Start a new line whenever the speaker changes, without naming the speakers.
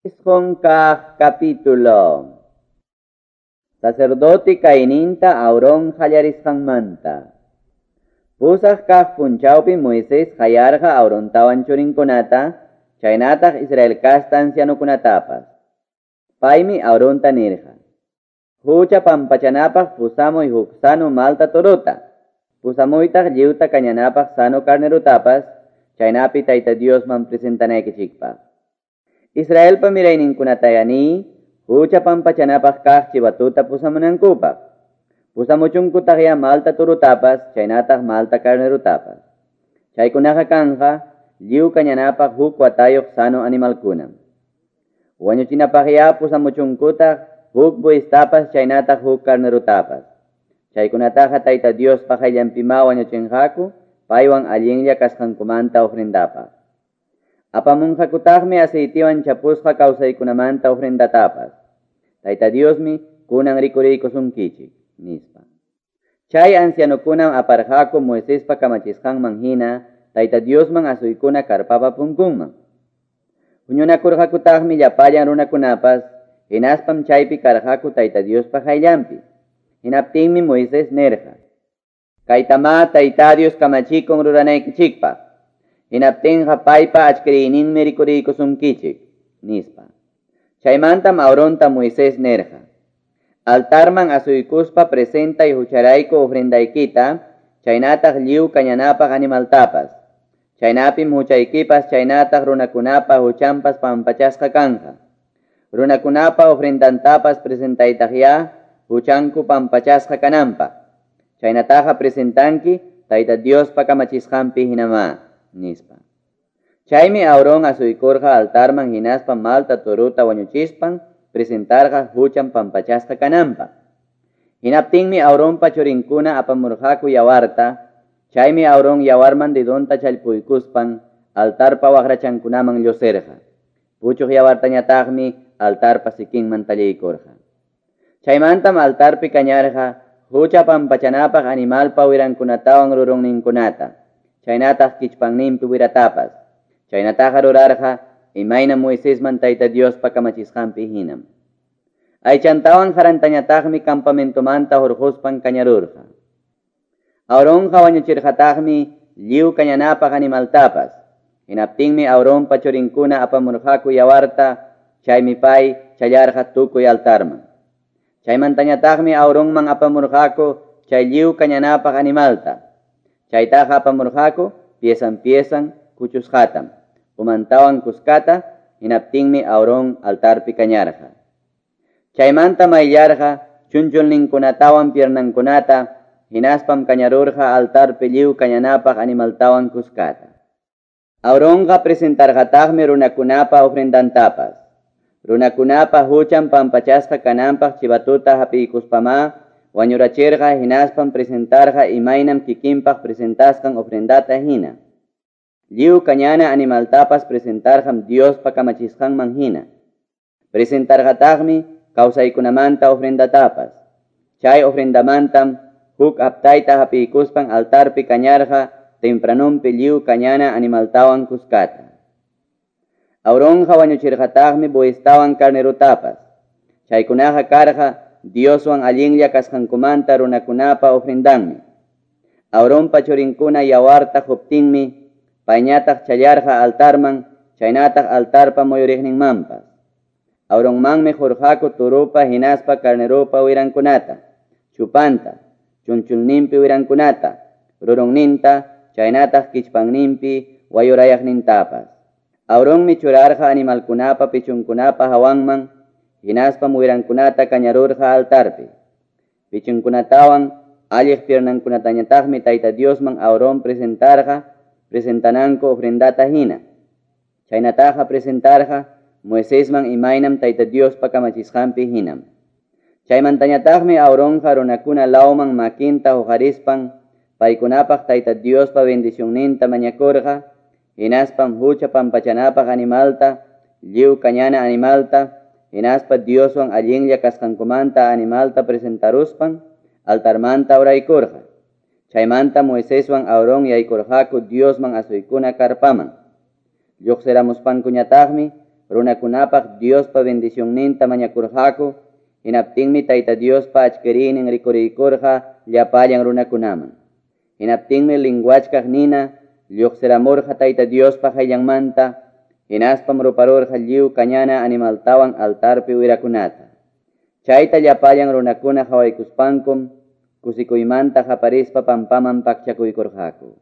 Kaq capítulo. Sacerdote kayninta Aarón qallarisqanmanta. Pusaq kaq punchawpi Moisés qayarqa Aarontawan churinkunata, chaynataq Israel casta ancianokunatapas. Paymi Aaronta nirqa: Hucha pampachanapaq pusamuy huk sano malta torota, pusamuytaq lliwta kañanapaq sano carnerutapas, chaynapi Tayta Diosman presentanaykichikpaq. Israelpa mirayninkunataya niy, hucha pampachanapaq kaq chivatuta pusamunankupaq. Pusamuchunkutaqya malta turutapas, chaynataq malta carnerutapas. Chaykunaqa kanja, lliw kañanapaq huk watayuq sano animalkunam. Wañuchinapaqya pusamuchunkutaq huk bueystapas chaynataq huk carnerutapas. Chaykunataqa Tayta Diospa qayllanpima wañuchinqaku, paywan allinlla kasqankumanta ofrendapaq. Apamunqakutaqmi aceitiwan chapusqa kawsaykunamanta ofrendatapas. Tayta Diosmi kunan rikuriykusunkichik, nispa. Chay ancianokunam aparqaku Moisespa kamachisqanman hina Tayta Diosman asuykuna karpapa punkunman. Huñunakurqakutaqmi llapallan runakunapas, hinaspam chaypi karqaku Tayta Diospa qayllanpi. Hinaptinmi Moisés nirqa: Kaytamá Tayta Dios kamachikun ruranaykichikpaq. Hinaptinqa paypa achkiriyninmi rikuriykusunkichik, nispa. Chaymantam Aaronta Moisés nirqa: Altarman asuykuspa presentay hucharayku ofrendaykita, chaynataq lliw kañanapaq animaltapas. Chaynapim huchaykipas chaynataq runakunapa huchanpas pampachasqa kanja. Runakunapa ofrendantapas presentaytaqya huchanku pampachasqa kananpaq. Chaynataqa presentanki Tayta Diospa kamachisqanpi hinamá, nispa. Chaymi Aarón asuykurqa altarman hinaspa malta turuta wañuchispan presentarqa huchan pampachasqa kananpaq. Hinaptinmi Aaronpa churinkuna apamurqaku yawarta, chaymi Aarón yawarman dedonta challpuykuspan altarpa waqrachankunaman llusirqa. Puchuq yawartañataqmi altarpa sikinman talliykurqa. Chaymantam altarpi kañarqa hucha pampachanapaq animalpa wirankunatawan rurunninkunata, chaynataq kichpanninpi wiratapas. Chaynataqa rurarqa imayna Moisesman Tayta Diospa kamachisqanpi hinam. Aychantawan harantañataqmi campamentomanta hurquspan kañarurqa. Aaronqa wañuchirqataqmi lliw kañanapaq animaltapas. Hinaptinmi Aaronpa churinkuna apamurqaku yawarta, chaymi pay challarqa tukuy altarman. Chaymantañataqmi Aaronman apamurqaku chay lliw kañanapaq animalta. Chaytaqa apamurqaku piesan piesan kuchusqatam, umantawan kuskata, hinaptinmi Aarón altarpi kañarqa. Chaymanta mayllarqa chunchulninkunatawan piernankunata, hinaspam kañarurqa altarpi lliw kañanapaq animaltawan kuskata. Aaronqa presentarqataqmi runakunapa ofrendantapas. Runakunapa huchan pampachasqa kananpaq chivatuta hapiykuspamá wañurachirqa hinaspam presentarqa imaynam kikinpaq presentasqan ofrendata hina. Lliw kañana animaltapas presentarqam Diospa kamachisqanman hina. Presentarqataqmi kawsaykunamanta ofrendatapas. Chay ofrendamantam huk aptayta hapiykuspan altarpi kañarqa tempranunpi lliw kañana animaltawan kuskata. Aaronqa wañuchirqataqmi bueyestawan carnerutapas. Chaykunaqa karqa Dioswan allinlla kasqankumanta runakunapa ofrendanmi. Aaronpa churinkuna yawarta quptinmi payñataq challarqa altarman, chaynataq altarpa muyuriqninmanpas. Aaronmanmi qurqaku turupa hinaspa carnerupa wirankunata, chupanta, chunchulninpi wirankunata, rurunninta, chaynataq kichpanninpi wayurayaqnintapas. Aaronmi churarqa animalkunapa pichunkunapa hawanman, hinaspam wirankunata kañarurqa altarpi. Pichunkunatawan alliq piernankunatañataqmi Tayta Diosman Aarón presentarqa, presentananku ofrendata hina. Chaynataqa presentarqa Moisesman imaynam Tayta Diospa kamachisqanpi hinam. Chaymantañataqmi Aaronqa runakuna lawman makinta huqarispan paykunapaq Tayta Diospa bendicionninta mañakurqa, hinaspam hucha pampachanapaq animalta, lliw kañana animalta, hinaspa Dioswan allinlla kasqankumanta animalta presentaruspan altarmanta uraykurqa. Chaymanta Moiseswan Aarón yaykurqaku Diosman asuykuna karpaman. Lluqsiramuspankuñataqmi runakunapaq Diospa bendicionninta mañakurqaku, hinaptinmi Tayta Diospa achkiriynin rikuriykurqa llapallan runakunaman. Hinaptinmi linguachkaq nina lluqsiramurqa Tayta Diospa qayllanmanta, hinaspam ruparurqa lliw kañana animaltawan altarpi wirakunata. Chayta llapallan runakuna qawaykuspankum kusikuymanta qaparispa pampaman pakchakuykurqaku.